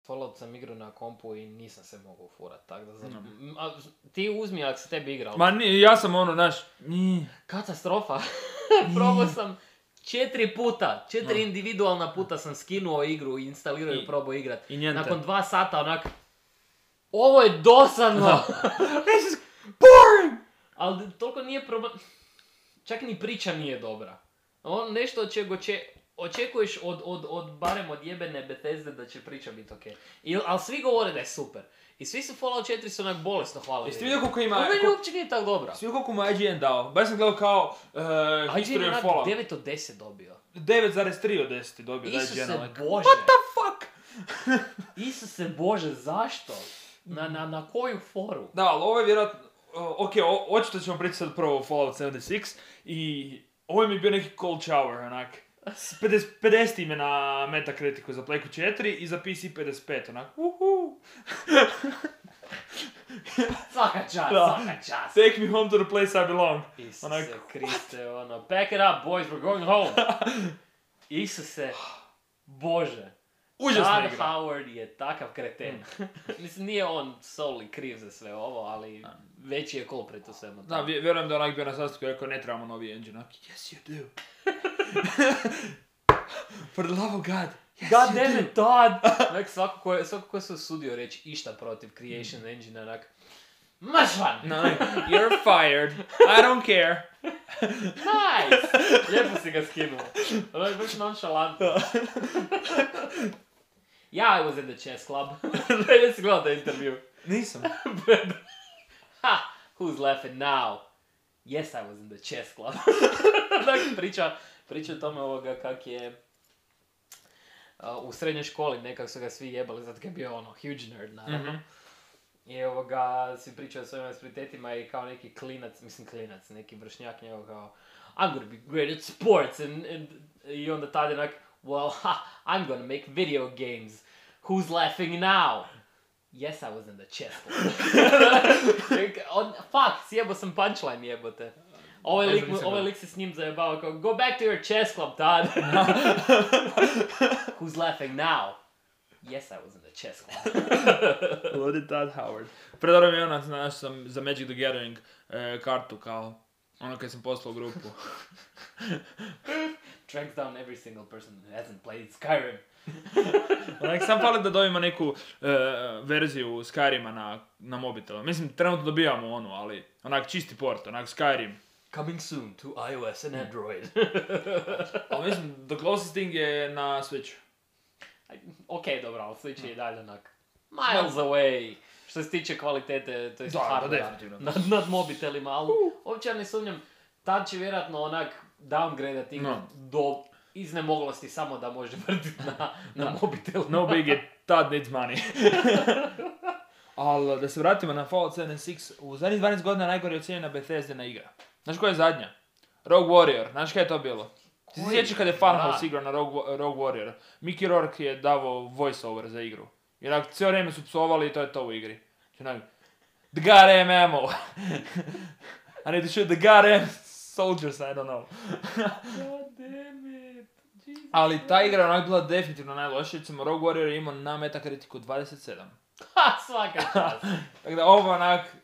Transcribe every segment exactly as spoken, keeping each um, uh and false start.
Fallout sam igrao na kompu i nisam se mogao furat, tako da znam. Mm. A, ti uzmi ako se tebi igrao. Ma nije, ja sam ono, znaš... Katastrofa. Probao sam četiri puta, četiri no. individualna puta sam skinuo igru i instalirao i probao igrat. I njente. Nakon dva sata onak... Ovo je dosadno! This is boring! Ali toliko nije problem... Čak ni priča nije dobra. On nešto od čega će... Očekuješ od, od, od, barem od jebene Bethesde da će priča biti okej. Okay. Ali svi govore da je super. I svi su Fallout četiri su onak bolesno hvalili. Jeste vidio koliko ima... Ovo meni uopće nije tako dobra. Jeste vidio koliko mu I G N dao? Baš sam gledao kao uh, History of Fallout. devet od deset dobio. devet zarez tri od deset dobio. Isuse like, Bože. What the fuck? Isuse Bože, zašto? Na, na, na koju foru? Da, ali ovo je vjerojatno... Uh, ok, o, očito ćemo pričati sad prvo o Fallout sedamdeset šest i ovo mi je bio neki cold shower, onak. pedeset, pedeset ime na Metacriticu za Playku četiri i za P C pedeset pet, onak. Uhu. Svaka čast, da. svaka čast. Take me home to the place I belong. Isuse onak, Kriste, ono, pack it up boys, we're going home. Isuse, Bože. Užasna Todd igra. Howard je takav kreten. Mm. Mislim, nije on solely kriv za sve ovo, ali da. Veći je culprit u svemu. Da, vjerujem da onak bio na sastanku i rekao ne trebamo novi engine. Yes, you do. For the love of God. Yes, God damn it, Todd! Nek, svako ko je, svako ko se usudio reći išta protiv Creation mm. Engine, onak, maš van! No, you're fired. I don't care. Nice! Lijepo si ga skinuo. Ono je baš nonšalantno. Yeah, I was in the chess club. Jesi gledao taj intervju? Nisam. Ha! Who's laughing now? Yes, I was in the chess club. Dakle, priča, priča o tome ovoga kak je uh, u srednjoj školi nekak su ga svi jebali, zato je bio ono huge nerd, naravno. Mm-hmm. I ovoga, svi pričaju o svojim aspiritetima i kao neki klinac, mislim klinac, neki vršnjak njegov kao I'm gonna be great at sports and, and i onda tada je onak well, ha, I'm gonna make video games. Who's laughing now? Yes, I was in the chess club. On, fuck, sjebo sam punchline jebote. Ovaj lik, ovaj lik se s njim zajebao kao go back to your chess club, Todd. Who's laughing now? Yes, I was in the chess club. Ludi Todd Howard. Predaro mi je ona, znaš, sam za Magic the Gathering e, kartu kao ono kad sam poslao u grupu. Tracks down every single person who hasn't played Skyrim. Onak, sam fali da dobijemo neku e, verziju Skyrima na, na mobitelu. Mislim, trenutno dobijamo onu, ali onak čisti port, onak Skyrim. Coming soon to iOS and Android. Ali mislim, the closest thing je na Switch. Ok, dobro, ali Switch je i dalje onak miles away. Što se tiče kvalitete, to je hardware nad, nad mobitelima, ali uh. uopće ne sumnjam, tad će vjerojatno onak downgrade-at igru no. do iznemoglosti samo da može vrtiti na, na no. mobitelu. No big, tad needs money. Ali da se vratimo na Fallout sedamdeset šest, u zadnjih dvanaest godina najgore ocijenjena Bethesdina igra. Znaš koja je zadnja? Rogue Warrior, znaš kaj je to bilo? Ti se sjećaš kada je Funhouse igrao na Rogue, Rogue Warrior? Mickey Rourke je davao voice-over za igru. I onak, cijelo vrijeme su psovali i to je to u igri. Onak, the goddamn ammo! I need to shoot the goddamn soldiers, I don't know. God damn it! Jesus. Ali ta igra je onak bila definitivno najlošija, recimo Rogue Warrior je imao na Metacriticu dvadeset sedam. Ha, svaka čast! Tako da ovo onak...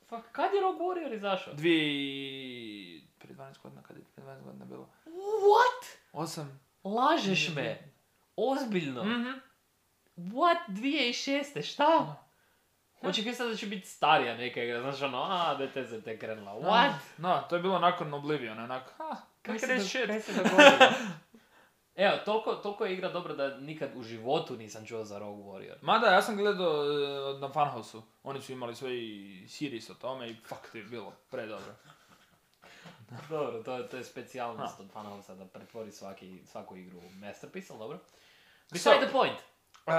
Fuck, kad je Rogue Warrior izašao? Dvije... Prije dvanaest godina, kad je prije dvanaest godina bilo? What? Osam. Lažeš me? Ozbiljno? Mhm. What? dvije tisuće šeste Šta? Očekaj sad da će biti starija neka igra, znaš ono, a, Bethesda te krenula. What? No, to je bilo nakon Oblivion, onak, ha, kaj se, do, kaj se dogodilo? Evo, toliko, toliko je igra dobra da nikad u životu nisam čuo za Rogue Warrior. Mada, ja sam gledao uh, na Funhouse-u, oni su imali svoj series o tome i fuck, to je bilo predobro. Dobro, to je, to je specijalnost od Funhouse-a da pretvori svaki, svaku igru u masterpiece, ali dobro. Beside so, the point. Uh,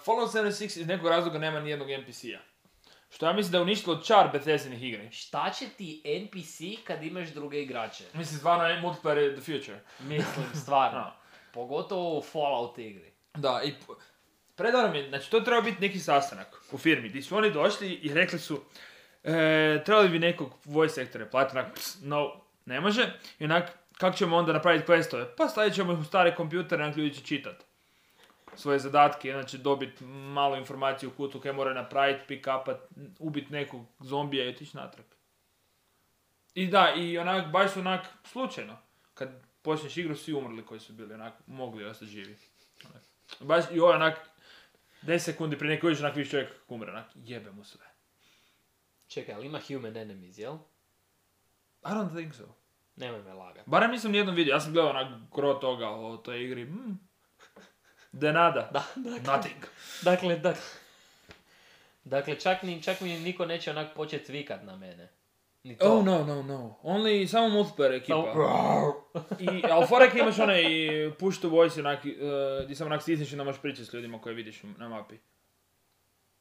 Fallout sedamdeset šest iz nekog razloga nema nijednog N P C-a. Što ja mislim da je uništilo čar Bethesdinih igri. Šta će ti N P C kad imaš druge igrače? Mislim, stvarno, multiplayer je the future. Mislim, stvarno. No. Pogotovo u Fallout igri. Da, i predobro mi je, znači to treba biti neki sastanak u firmi, gdje su oni došli i rekli su e, trebali bi nekog voice actora platiti, onak, no, ne može, i onak, kako ćemo onda napraviti questove? Pa stavit ćemo ih u stare kompjutere, onak ljudi će čitat. svoje zadatke, znači dobiti malu informaciju u kutu kaj mora napraviti, pick-upat, ubiti nekog zombija i otići natrag. I da, i onak, baš su onak slučajno. Kad počneš igru, svi umrli koji su bili onak, mogli ostati živi. Onak. Baš i ovo onak, deset sekundi prije neko vidiš onak viš čovjek umre, onak, jebe mu sve. Čekaj, ali ima human enemies, jel? I don't think so. Nemoj me lagat. Barem nisam nijednom vidio, ja sam gledao onak gro toga o toj igri. Mm. De nada. Da, dakle, Nothing. dakle, dakle, dakle čak, ni, čak mi niko neće onak početi vikat na mene. Ni to. Oh no, no, no. Only samo multiplayer ekipa. Samo... I, ali forek imaš onaj push to voice, onak, uh, gdje sam onak stisneš i da možeš pričati s ljudima koje vidiš na mapi.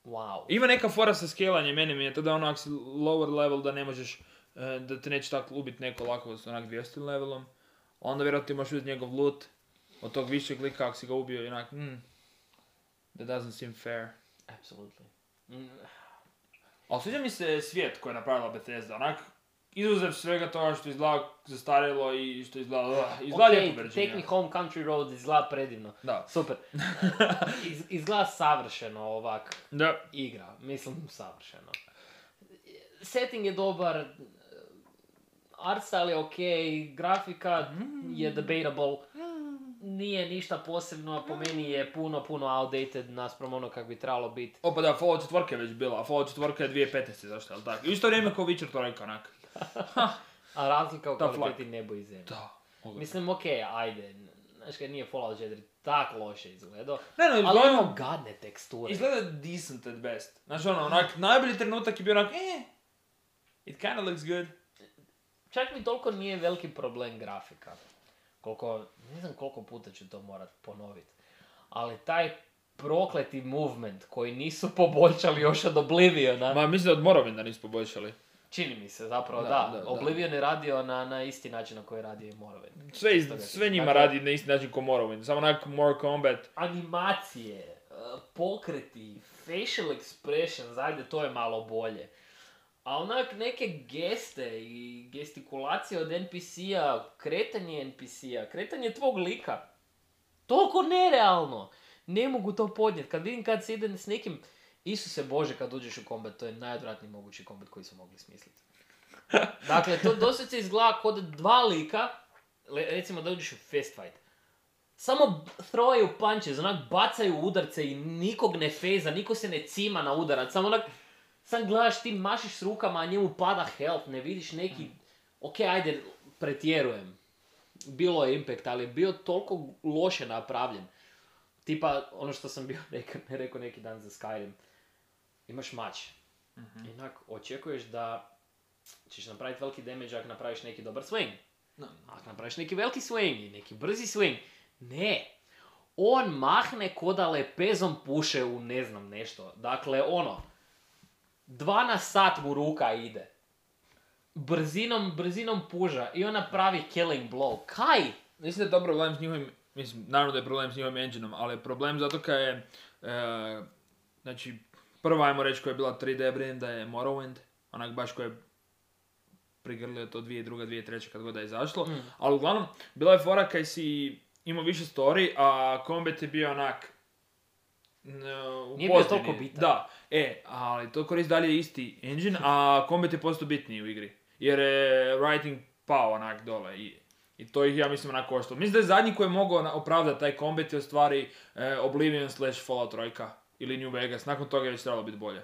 Wow. Ima neka fora sa scalanjem, meni mi je to da onak si lower level da ne možeš, uh, da te neće tako ubiti neko lako s onak dvjesto levelom. Onda vjerojatno ti možeš uzeti njegov loot od tog višeg lika ako si ga ubio i onak, hmm, that doesn't seem fair. Absolutely. Mm. Ali sviđa mi se svijet koji je napravila Bethesda, onak, izuzev svega toga što izgleda zastarjelo i što izgleda, uh, izgleda okay, lijepo Virginia. Take Me Home Country Road izgleda predivno. Da. Super. Iz, izgleda savršeno ovak Da. igra. Mislim, savršeno. Setting je dobar, art style je okej, grafika je debatable. Nije ništa posebno, a po meni je puno, puno outdated naspram ono kako bi trebalo biti. Opa da, Fallout četiri je već bila, a Fallout četiri je dvije tisuće petnaeste, zašto, ali tako? Isto vrijeme kao Witcher tri, onak. A razlika u Tough kvaliteti nebo i zemlje. Da. Ogledno. Mislim, okej, okay, ajde, znaš kad nije Fallout četiri tak loše izgledao, Ne, no, ali izgleda, imamo gadne teksture. izgleda decent at best. Znaš ono, onak, najbolji trenutak je bio onak, eh, it kinda looks good. Čak mi toliko nije veliki problem grafika. Koliko, ne znam koliko puta ću to morat ponoviti. Ali taj prokleti movement koji nisu poboljšali još od Obliviona. Ma, mislim da od Morrowinda nisu poboljšali. Čini mi se, zapravo da. Da, da, da. Oblivion je radio na, na isti način na koji je radio i Morrowind. Sve, iz, Isto ga- sve njima dakle, radi na isti način kao Morrowind, samo onak more combat. Animacije, uh, pokreti, facial expressions, ajde to je malo bolje. A onak neke geste i gestikulacije od en pi si-a, kretanje en pi si-a, kretanje tvog lika. Toliko nerealno. Ne mogu to podnijeti. Kad vidim kad se ide s nekim, Isuse Bože, kad uđeš u kombat, to je najodvratniji mogući kombat koji su mogli smisliti. Dakle, to doslovce izgleda kod dva lika, le- recimo da uđeš u fist fight. Samo throwaju punches, onak bacaju udarce i nikog ne feza, niko se ne cima na udarac, samo onak, sam gledaš ti mašiš s rukama, a njemu pada health, ne vidiš neki, ok, ajde, pretjerujem. Bilo je impact, ali je bio toliko loše napravljen. Tipa, ono što sam bio rekao, rekao neki dan za Skyrim. Imaš mač. Mhm. I onak, očekuješ da ćeš napraviti veliki damage ako napraviš neki dobar swing. No. Ako napraviš neki veliki swing i neki brzi swing. Ne. On mahne ko da lepezom puše u ne znam nešto. Dakle, ono, dva na sat mu ruka ide. Brzinom, brzinom puža i ona pravi killing blow. Kaj? Mislim da je to problem s njihovim, mislim, naravno da je problem s njihovim engineom, ali je problem zato kad je, e, znači, prva, ajmo reći, koja je bila tri D Brenda je Morrowind, onak baš koja je prigrlio to dvije druga, dvije treće kad god da je izašlo, Mm. ali uglavnom, bila je fora kaj si imao više story, a combat je bio onak, n- u Nije bio pozadini. toliko bitan. Da, e, ali to koristi dalje isti engine, a combat je postao bitniji u igri, jer je writing pao onak dole i I to ih, ja mislim, onako koštalo. Mislim da je zadnji koji je mogao na- opravdati taj combat je u stvari e, Oblivion slash Fallout tri ili New Vegas. Nakon toga je već trebalo biti bolje.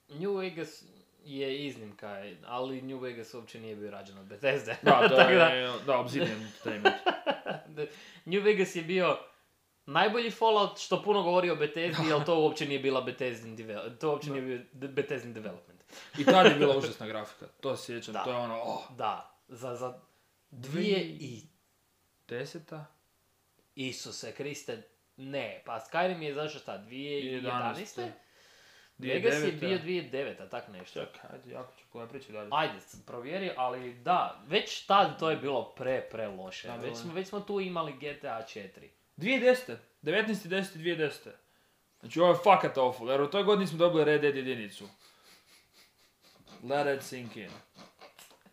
New Vegas je iznimka, ali New Vegas uopće nije bio rađen od Bethesde. Da, to Tako da, je, da, Obsidian Entertainment. New Vegas je bio najbolji Fallout, što puno govori o Bethesdi, ali to uopće nije bila Bethesdin development. To uopće nije bio de- Bethesdin development. I tad je bila užasna grafika. To se sjećam, Da. to je ono, oh, Da, za, za dvije i... deseta? Isuse Kriste, ne, pa Skyrim je zašto šta, dvije tisuće jedanaeste? dvije Vegas tisuće je devete. bio dvije tisuće devete, tak nešto. Čekaj, ajde, jako ću koja priča dalje. Ajde, s- provjeri, ali da, već tad to je bilo pre, pre loše. Da, Već bilo smo, je. već smo tu imali G T A četiri. dvije tisuće desete. devetnaesti deseti dvije tisuće desete. Znači ovo je fakat awful, jer u toj godini smo dobili Red Dead jedinicu. Let it sink in.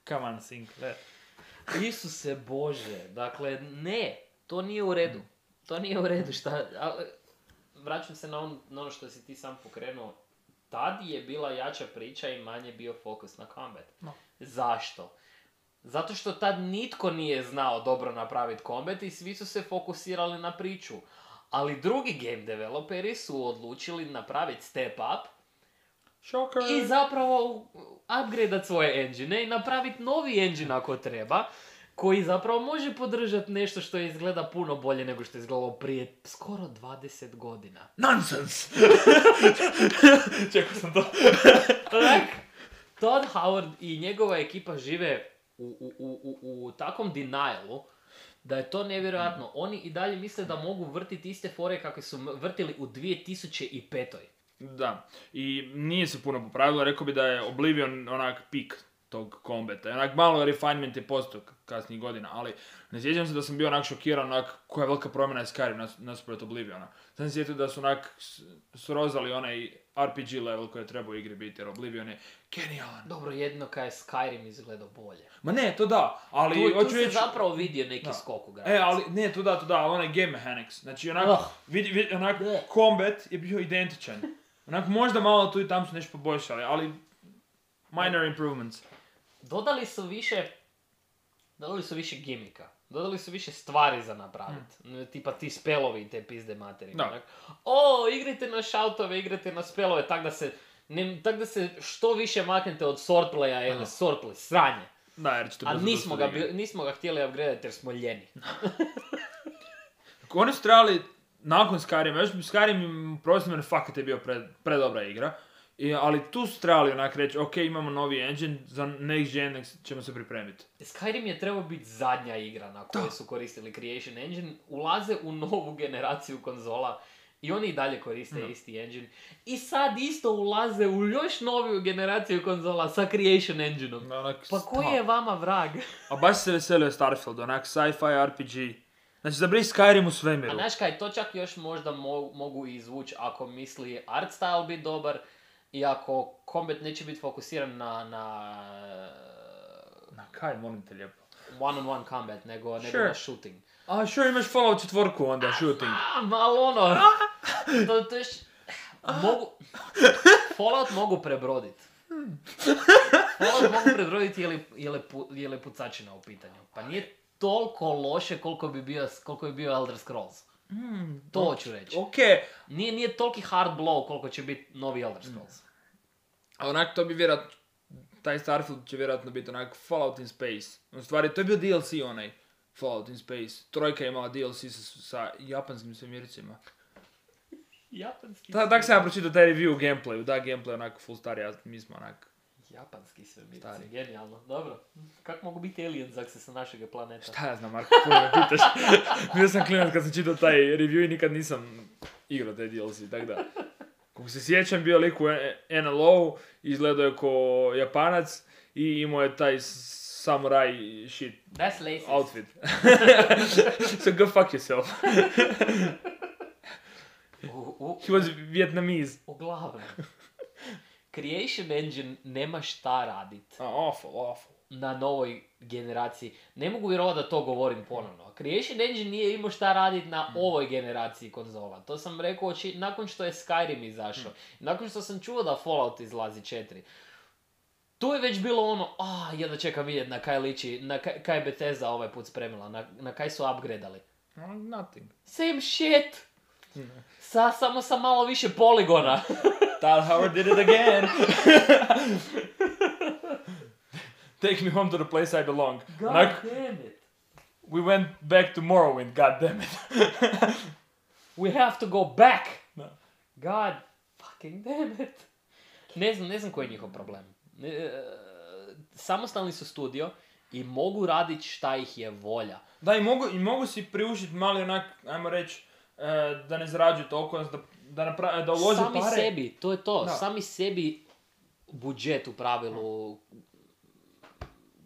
Come on, sink, let. Isuse Bože, dakle, ne, to nije u redu. To nije u redu, šta, a, vraćam se na, on, na ono što si ti sam pokrenuo. Tad je bila jača priča i manje bio fokus na combat. No. Zašto? Zato što tad nitko nije znao dobro napraviti combat i svi su se fokusirali na priču. Ali drugi game developeri su odlučili napraviti step up Shocker. i zapravo upgradeat svoje engine i napraviti novi engine ako treba, koji zapravo može podržati nešto što izgleda puno bolje nego što je izgledalo prije skoro dvadeset godina. Nonsense! Čekao sam to. Tak, Todd Howard i njegova ekipa žive u, u, u, u, u takvom denialu da je to nevjerojatno. Oni i dalje misle da mogu vrtiti iste fore kakve su vrtili u dvije tisuće pet. Da, i nije se puno popravilo, rekao bi da je Oblivion onak pik tog kombata. Onak malo refinement je postao kasnijih godina, ali ne sjećam se da sam bio onak šokiran, onak koja velika promjena je Skyrim nas, nasuprot Obliviona. Sam se sjetio da su onak srozali onaj R P G level koji je trebao u igri biti, jer Oblivion je genijalan. Dobro, jedno kaj je Skyrim izgledao bolje. Ma ne, to da, ali Tu, tu hoću se reći... zapravo vidio neki Da. skok u E, grafici. ali ne, to da, to da, ali onaj game mechanics. Znači, onak, Oh. vidi, vidi, onak, Ne. combat je bio identičan. Onak, možda malo tu i tam su nešto poboljšali, ali minor improvements. Dodali su više, dodali su više gimika. Dodali su više stvari za napraviti. Tipa ti spelovi i te pizde materije. Da. onak. O, igrajte na shoutove, igrajte na spelove, tak da se, ne, tak da se što više maknete od swordplaya ili swordplay, sranje. Da, jer ćete A brzo nismo ga, dosta igre. bi- nismo ga htjeli upgradeati jer smo ljeni. Oni su trebali, nakon Skyrima, još bi Skyrim, prostim mene, fakat je bio pre, predobra igra. I, ali tu su trebali onak reći, ok, imamo novi engine, za next gen ćemo se pripremiti. Skyrim je trebao biti zadnja igra na kojoj su koristili Creation Engine. Ulaze u novu generaciju konzola i oni i dalje koriste No. isti engine. I sad isto ulaze u još noviju generaciju konzola sa Creation Engineom. Onak, Pa koji stop. je vama vrag? A baš se veselio Starfield, onak sci-fi R P G. Znači, zabri Skyrim u svemiru. A znaš kaj, to čak još možda mo- mogu izvući ako misli art style biti dobar i ako combat neće biti fokusiran na, na Na kaj, molim te lijepo. one-on-one combat, nego, nego Sure. na shooting. A, sure, imaš Fallout četvorku onda, shooting. A, malo ono, to, to još, mogu, Fallout mogu prebrodit. Fallout mogu prebroditi je li, je, li pu, je li pucačina u pitanju. Pa nije toliko loše koliko bi bio, koliko bi bio Elder Scrolls. Mm, To hoću reći. ok, Nije, nije toliki hard blow koliko će biti novi Elder Scrolls. a onak to bi vjerojatno, taj Starfield će vjerojatno biti onak Fallout in Space. U stvari, to je bio D L C onaj, Fallout in Space. Trojka je imala D L C sa, sa japanskim svemircima. Japanski Ta, tak sam ja pročitao taj review u gameplayu, da, gameplay onak full stari, a mi smo onak... Japanski svemirci, Stari. genijalno. Dobro. Kako mogu biti aliens ako se sa našeg planeta? Šta ja znam, Marko, puno me pitaš. Bio sam klinac kad sam čitao taj review i nikad nisam igrao taj D L C, tak da. Kako se sjećam, bio lik u N L O, izgledao je ko Japanac i imao je taj samurai shit That's racist. outfit. So go fuck yourself. U, u, He was Vietnamese. uglavnom. Creation Engine nema šta radit Oh, awful, awful. na novoj generaciji. Ne mogu vjerovati da to govorim ponovno. Creation Engine nije imao šta radit na ovoj generaciji konzola. To sam rekao či, nakon što je Skyrim izašao. Nakon što sam čuo da Fallout izlazi četiri. Tu je već bilo ono, a, jedno čekam vidjeti na kaj liči, na kaj, kaj je Bethesda ovaj put spremila, na, na kaj su upgradali. Oh, nothing. Same shit! Sa, samo sa malo više poligona. Todd Howard did it again. Take me home to the place I belong. God Onak, damn it. we went back to Morrowind, god damn it. We have to go back! Da. God fucking damn it. Ne znam, ne znam koji je njihov problem. E, samostalni su studio i mogu raditi šta ih je volja. Da, i mogu, i mogu si priuštiti mali onak, ajmo reći, e, da ne zarađuju toliko, da, da, napra- da ulože Sami pare. sebi, to je to. Da. Sami sebi budžet u pravilu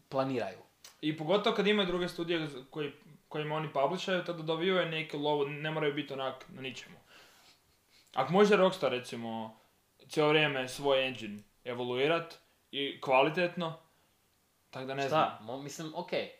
planiraju. I pogotovo kad imaju druge studije koji, kojima oni publishaju, tada dobivaju neke lovo, ne moraju biti onak na ničemu. Ako može Rockstar, recimo, cijelo vrijeme svoj engine evoluirat i kvalitetno, tako da ne znam. Šta? Mo, mislim, okej.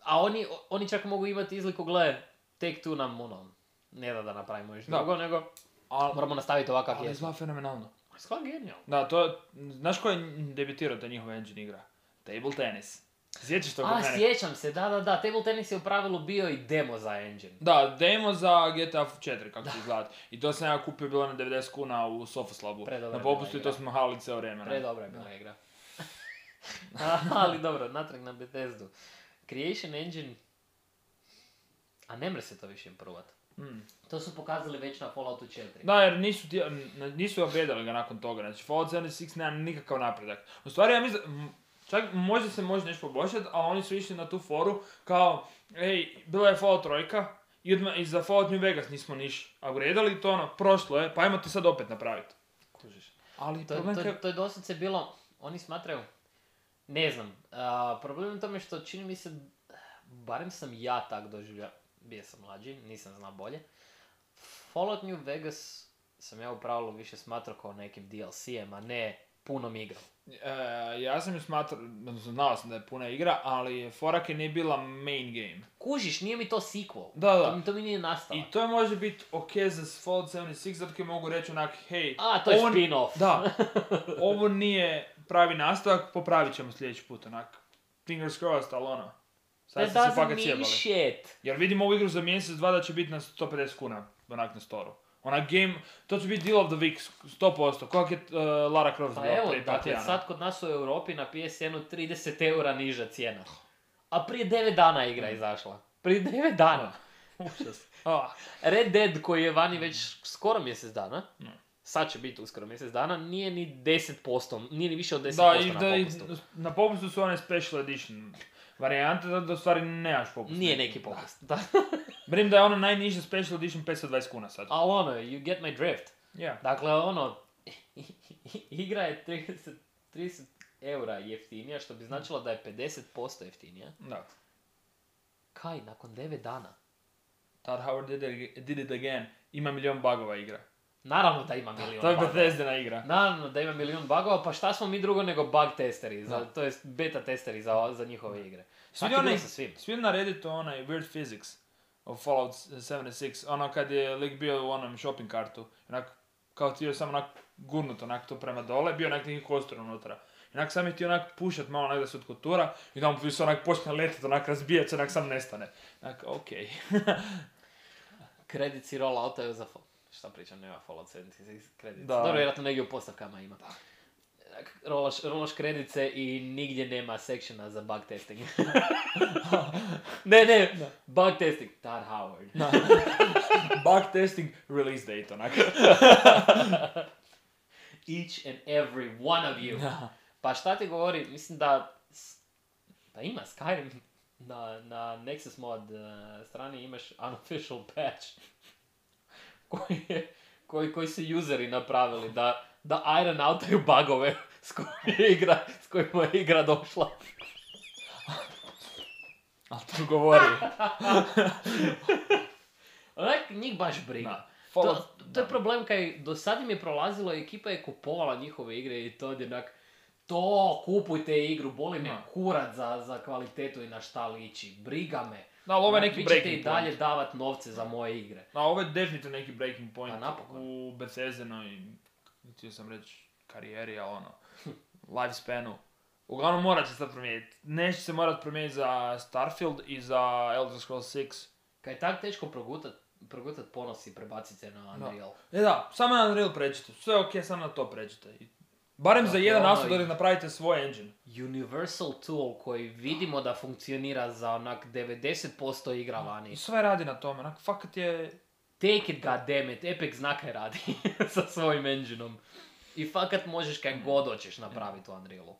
A oni, oni čak mogu imati izliku, gle, Take Two nam ono, ne da da napravimo još Da. drugo, nego Al, moramo nastaviti ovakav ali je. izgleda fenomenalno. Skoro genijalno. Da, to, znaš ko je debitirao da njihov engine igra? Table Tennis. Sjećaš to kod A, mene? sjećam se, da, da, da, Table Tennis je u pravilu bio i demo za engine. Da, demo za G T A četiri, kako će izgledat. I to sam ja kupio bilo na devedeset kuna u Sofoslabu. Predobra Na popustu je i bila to smo halili cijelo vrijeme. ne? Predobra je bila igra. A, ali dobro, natrag na Bethesdu. Creation Engine... A ne mre se to više improvat. Mm. To su pokazali već na Falloutu četiri. Da, jer nisu, ti, n- nisu upgradali ga nakon toga. Znači, Fallout sedamdeset šest nema nikakav napredak. U stvari, ja mislim, m, čak možda se može nešto poboljšati, ali oni su išli na tu foru kao, ej, bila je Fallout trojka, i, odmah, i za Fallout New Vegas nismo niš upgradali, to ono, prošlo je, pa ajmo ti sad opet napraviti. Kužiš. Ali To, problem to, ka- to je doslovce bilo, oni smatraju, ne znam, a, problem je u tome što čini mi se, barem sam ja tak doživljavao, bio sam mlađi, nisam znao bolje. Fallout New Vegas sam ja u pravilu više smatrao kao nekim D L C-em, a ne punom igrom. E, ja sam ju smatrao, odnosno znao sam da je puna igra, ali Forak je nije bila main game. Kužiš, nije mi to sequel. Da, da. To mi, to mi nije nastalo. I to može biti ok za Fallout sedamdeset šest, zato koji mogu reći onak, hej, A, to je ovo- spin-off. Da, ovo nije pravi nastavak, popravit ćemo sljedeći put, onak. Fingers crossed, ali ono. Sad That ste se doesn't fakat mean sjebali. shit. Jer vidimo ovu igru za mjesec, dva da će biti na sto pedeset kuna, onak na storu. Onak game, to će biti deal of the week, sto posto, kako je uh, Lara Croft Pa bila evo, prije par dakle, tjedana. sad kod nas u Europi na P S N-u trideset eura niža cijena. A prije devet dana je igra izašla. Prije devet dana. Užas. Ah, Red Dead koji je vani već skoro mjesec dana, Mm. sad će biti uskoro mjesec dana, nije ni deset posto, nije ni više od deset da, posto i, na da, i popustu. na popustu su one special edition varijante, da, da u stvari nemaš popust. Nije neki popust. Da. Brim da je ono najniža special edition petsto dvadeset kuna sad. Ali ono, you get my drift. Yeah. Dakle, ono, igra je trideset, trideset eura jeftinija, što bi značilo da je pedeset posto jeftinija. Da. Kaj, nakon devet dana? Todd Howard did it, did it again. Ima milion bugova igra. Naravno da ima milion To je bugova. Bethesdina igra. Naravno da ima milion bugova, pa šta smo mi drugo nego bug testeri, za, Da. to jest beta testeri za, za njihove igre. Svi Svaki oni, dio sa svim. svi na Redditu onaj Weird Physics of Fallout sedamdeset šest, ono kad je lik bio u onom shopping kartu, onak, kao ti je samo onak gurnut onak to prema dole, bio onak neki kostur unutra. I onak sam je ti onak pušat malo onak da se otkotura i da mu se onak počne letit, onak razbijat se, onak sam nestane. Onak, okej. Kredici rolloutaju za... fo- Šta pričam, nema Fallout sedamdeset šest kredici. Da. Dobro, vjerojatno negdje u postavkama ima. Rolaš, rolaš kredice i nigdje nema sectiona za bug testing. ne, ne, bug testing. Todd Howard. Bug testing, release date, onak. Each and every one of you. Pa šta ti govori, mislim da... s- Da ima Skyrim na, na Nexus mod uh, strani imaš unofficial patch koji, je, koji, koji su useri napravili da, da iron outaju bugove s kojima je igra, s kojima je igra došla. Ali to govori. Onak njih baš briga. Da. To, Fallout- to je da. problem kaj do sad im je prolazilo, ekipa je kupovala njihove igre i to je onak, to kupujte igru, boli me Da. kurac za, za kvalitetu i na šta liči, briga me. Da, ali ovo je Onak, neki vi ćete breaking i dalje point. davat novce za moje igre. A ovo je definitivno neki breaking point Pa napokon. u Bethesdinoj, htio sam reći, karijeri, ali ono, lifespanu. Uglavnom morat će se sad promijeniti. Neće se morat promijeniti za Starfield i za Elder Scrolls šest. Kad je tak teško progutat, progutat ponos i prebacit se na Unreal. E da, samo na Unreal pređite. Sve je okej, samo na to pređite. I barem za Dakle, jedan ono nastup da i- napravite svoj engine. Universal tool koji vidimo da funkcionira za onak devedeset posto igra vani. I sve radi na tome, onak, fakat je... Take it, goddammit, Epic zna kaj radi sa svojim engineom. I fakat možeš kaj god hoćeš napraviti u Unrealu.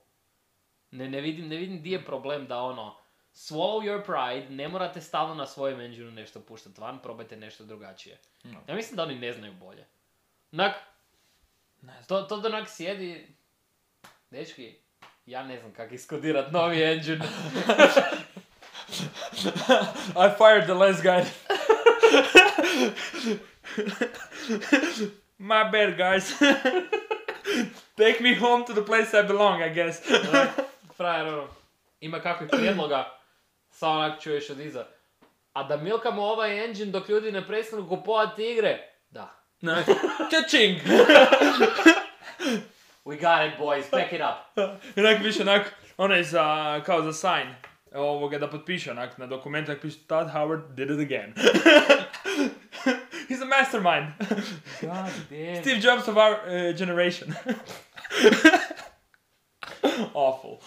Ne, ne vidim, ne vidim di je problem da ono, swallow your pride, ne morate stalno na svojem engineu nešto puštati van, probajte nešto drugačije. No. Ja mislim da oni ne znaju bolje. Onak, Ne znam. to, to da onak sjedi, dečki, ja ne znam kako iskodirat novi engine. I fired the last guy. My bad, guys. Take me home to the place I belong, I guess. Onak, frajer, ono, ima kakvih prijedloga, samo onak čuješ od iza. A da milkamo ovaj engine dok ljudi ne prestanu kupovati igre? Da. Čačing! We got it, boys, pack it up. I onak više onak, onaj za, kao za sign, ovoga da potpiše onak na dokumentu, onak piše Todd Howard did it again. He's a mastermind. God damn. Steve Jobs of our uh, generation. Awful.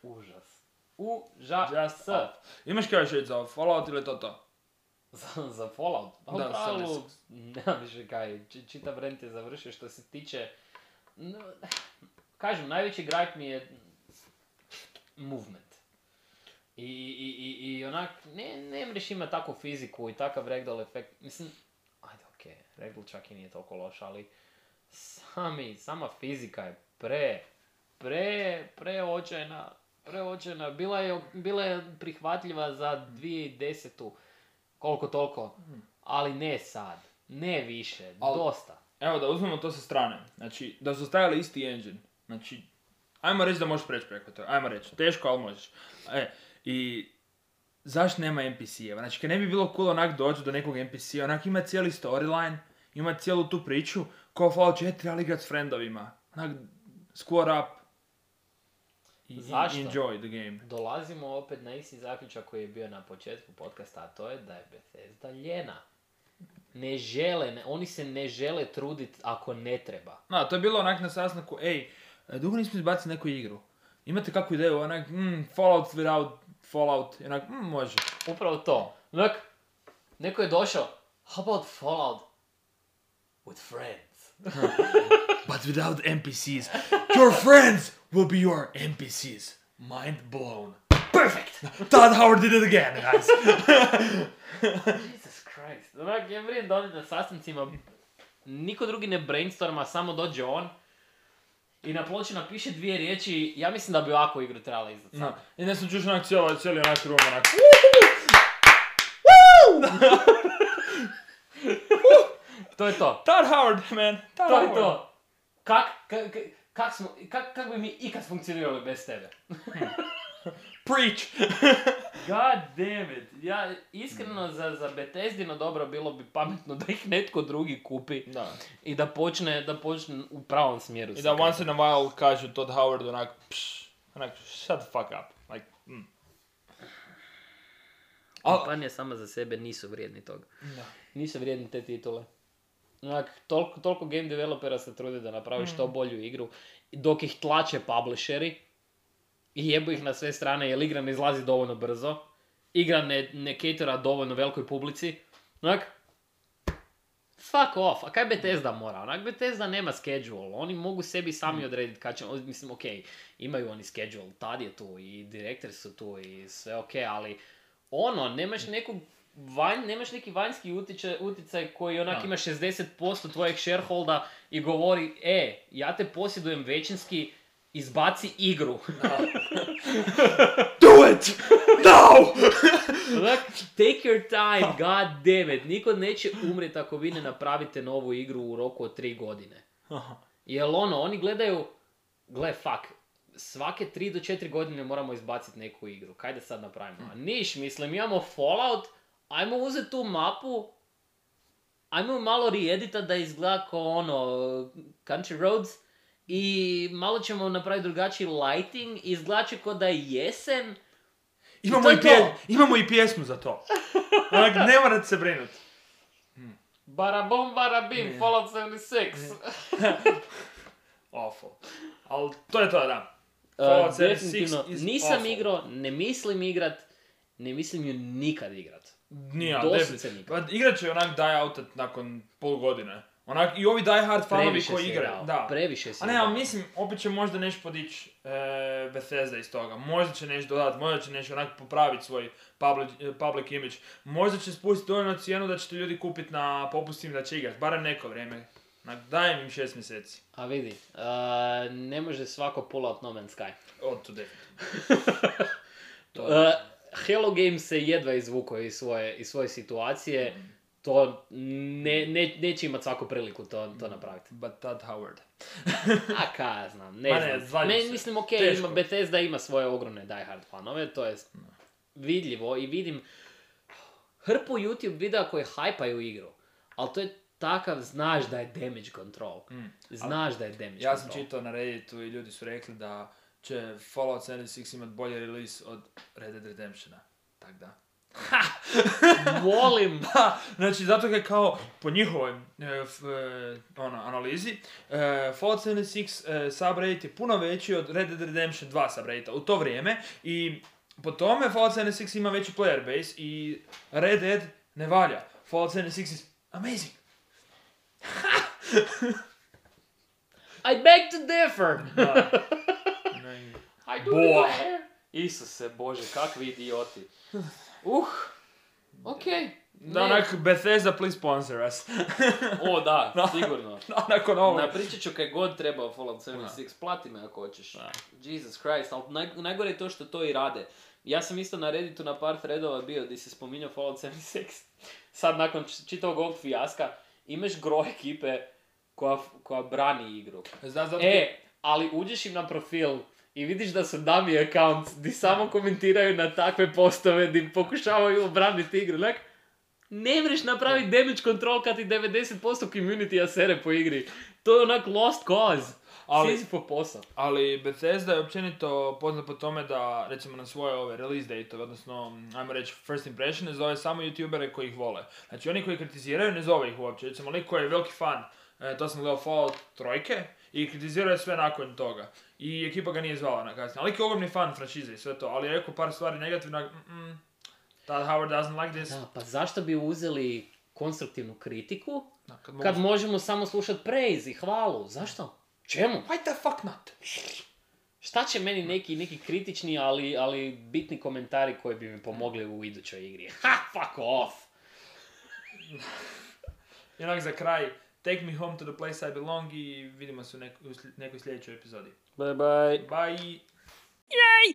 Užas. Užas. Just off. Imaš kao još reći za Fallout ili to to? Za, za Fallout? Pa Da, u pravilu, sedamdeset. nema više kaj, či- čitav rent je završio što se tiče... No, kažem, najveći gripe mi je movement. I, i, i, i onak, ne, ne mreš ima takvu fiziku i takav ragdoll efekt. Mislim, ajde okej, okay, ragdoll čak i nije toliko loš, ali sami, sama fizika je pre, pre, preočajna, preočajna. Bila je, bila je prihvatljiva za dvije tisuće desetu, koliko toliko, ali ne sad, ne više, Al- dosta. Evo da uzmemo to sa strane. Znači, da su stavili isti engine. Znači, ajmo reći da možeš preći preko toga. Ajmo reći, teško, ali možeš. E, i zašto nema en pi si-eva? Znači, kad ne bi bilo cool onak doći do nekog en pi si-a, onak ima cijeli storyline, ima cijelu tu priču, kao Fallout četiri, ali igrat s friendovima. Onak, squad up. I, i Zašto? enjoy the game. Dolazimo opet na isti zaključak koji je bio na početku podcasta, a to je da je Bethesda ljena. Ne žele, ne, oni se ne žele truditi ako ne treba. No, to je bilo onak na sastanku, ej, dugo nismo izbacili neku igru. Imate kakvu ideju, onak, mm, Fallout without Fallout, i onak, mm, može. Upravo to. Onak, neko je došao, how about Fallout with friends? But without en pi si's, your friends will be your en pi si's. Mind blown. Perfect! Todd Howard did it again, guys. Jesus Christ. Onak, ja vrijem da oni na sastancima niko drugi ne brainstorma, samo dođe on i na ploči napiše dvije riječi. Ja mislim da bi ovakvu igru trebala izdat. No, i ne sam čuš onak cijelo, cijeli onak room, onak. To je to. Todd Howard, man. Todd To je Howard. to. Kak, kak, kak, kak, smo, kak, kak bi mi ikad funkcionirali bez tebe? Preach. God damn it. Ja, iskreno za, za Bethesdino dobro bilo bi pametno da ih netko drugi kupi Da. i da počne, da počne u pravom smjeru. I se da krenuti. once in a while kažu Todd Howard onak, pš, onak, shut the fuck up. Like, mm. Al, Kompanije sama za sebe nisu vrijedni toga. da. Nisu vrijedni te titule. Onak, toliko, toliko game developera se trude da napravi što bolju igru, dok ih tlače publisheri i jebu ih na sve strane jer igra ne izlazi dovoljno brzo, igra ne, ne catera dovoljno velikoj publici. Onak, fuck off, a kaj Bethesda mora? Onak, Bethesda nema schedule, oni mogu sebi sami odrediti kad će, mislim, ok, imaju oni schedule, tad je tu i direktori su tu i sve ok, ali ono, nemaš nekog vanj, nemaš neki vanjski utjecaj, utjecaj koji onak Da. ima šezdeset posto tvojeg shareholda i govori, e, ja te posjedujem većinski, izbaci igru. Do it! Now! Onak, take your time, god damn it. Niko neće umreti ako vi ne napravite novu igru u roku od tri godine. Jel ono, oni gledaju, gle, fuck, svake tri do četiri godine moramo izbaciti neku igru. Kaj da sad napravimo? A niš, mislim, imamo Fallout, ajmo uzeti tu mapu, ajmo malo re-edita da izgleda kao ono, Country Roads, i malo ćemo napraviti drugačiji lighting, izgleda će kao da je jesen. Imamo to je i, pje, to. imamo i pjesmu za to. Onak, ne morate se brinuti. Barabom, barabim, Fallout sedamdeset šest. Awful. Ali to je to, da. Uh, Fallout sedamdeset šest definitivno, is nisam awful. igrao, ne mislim igrat, ne mislim ju nikad igrat. Nije, ali Doslovce definitivno. nikad. Pa igrat će onak die out nakon pol godine. Onak, i ovi die hard fanovi Previše koji si igraju. igrao, Da. previše si A ne, igrao. ali mislim, opet će možda nešto podići e, Bethesda iz toga. Možda će nešto dodati, možda će nešto onak popraviti svoj public, e, public image. Možda će spustiti dovoljno cijenu da ćete ljudi kupiti na popustima da će igrati. Barem neko vrijeme. Onak, dajem im šest mjeseci. A vidi, uh, ne može svako pull out No Man's Sky. Od to definitivno. Uh, Hello Games se jedva izvukao iz svoje, iz svoje situacije. To ne, ne, neće imati svaku priliku to, to napraviti. But Todd Howard. A ka ja znam, ne Ma ne, znam. svađam Me, se. mislim, ok, Teško. ima, Bethesda ima svoje ogromne die hard fanove, to je vidljivo i vidim, hrpu YouTube videa koji hajpaju igru. Ali to je takav, znaš da je damage control. Mm. Znaš da je damage Ja control. sam čitao na Redditu i ljudi su rekli da će Fallout sedamdesijet šest imat bolji release od Red Dead Redemptiona. Tak da. Molim! Da, znači zato je kao po njihovoj e, f, e, ono, analizi e, Fallout sedamdesijet šest e, subrate je puno veći od Red Dead Redemption dva subrate u to vrijeme i po tome Fallout sedamdesijet šest ima veći player base i Red Dead ne valja. Fallout sedamdesijet šest is amazing. I beg to differ! Da. I do Boa. declare. Isuse Bože, kakvi idioti. Uh, okej. Da, Ne. onak Bethesda please sponsor us. O da, Da. sigurno. Nakon ovog. Napričat ću kaj god treba o Fallout sedamdesijet šest, plati me ako hoćeš. Da. Jesus Christ, ali naj, najgore je to što to i rade. Ja sam isto na Redditu na par threadova bio gdje se spominjao Fallout sedamdesijet šest. Sad nakon č- čitavog ovog fijaska imaš gro ekipe koja, koja brani igru. Zna, zato... E, ali uđeš im na profil i vidiš da su dummy accounts di samo komentiraju na takve postove di pokušavaju obraniti igru. Like, ne mreš napraviti damage control kad ti devedeset posto community-a sere po igri. To je onak lost cause. Ali- Sizifov posao. Ali Bethesda je općenito poznat po tome da, recimo na svoje ove release date, odnosno, ajmo reći, first impression, ne zove samo youtubere koji ih vole. Znači oni koji kritiziraju ne zove ih uopće. Recimo lik koji je veliki fan, e, to sam gledao Fallout trojke, i kritizirao je sve nakon toga. I ekipa ga nije zvala na kasnije. Ali lik je ogromni fan franšize i sve to, ali je rekao par stvari negativno, mm, that Howard doesn't like this. Da, pa zašto bi uzeli konstruktivnu kritiku Da, kad mogu... kad možemo samo slušati praise i hvalu? Zašto? Čemu? Why the fuck not? Šta će meni neki, neki kritični, ali, ali bitni komentari koji bi mi pomogli u idućoj igri? Ha, fuck off! I onak za kraj, take me home to the place I belong i vidimo se u, nek- u sli- nekoj sljedećoj epizodi. Bye bye! Bye! Yay!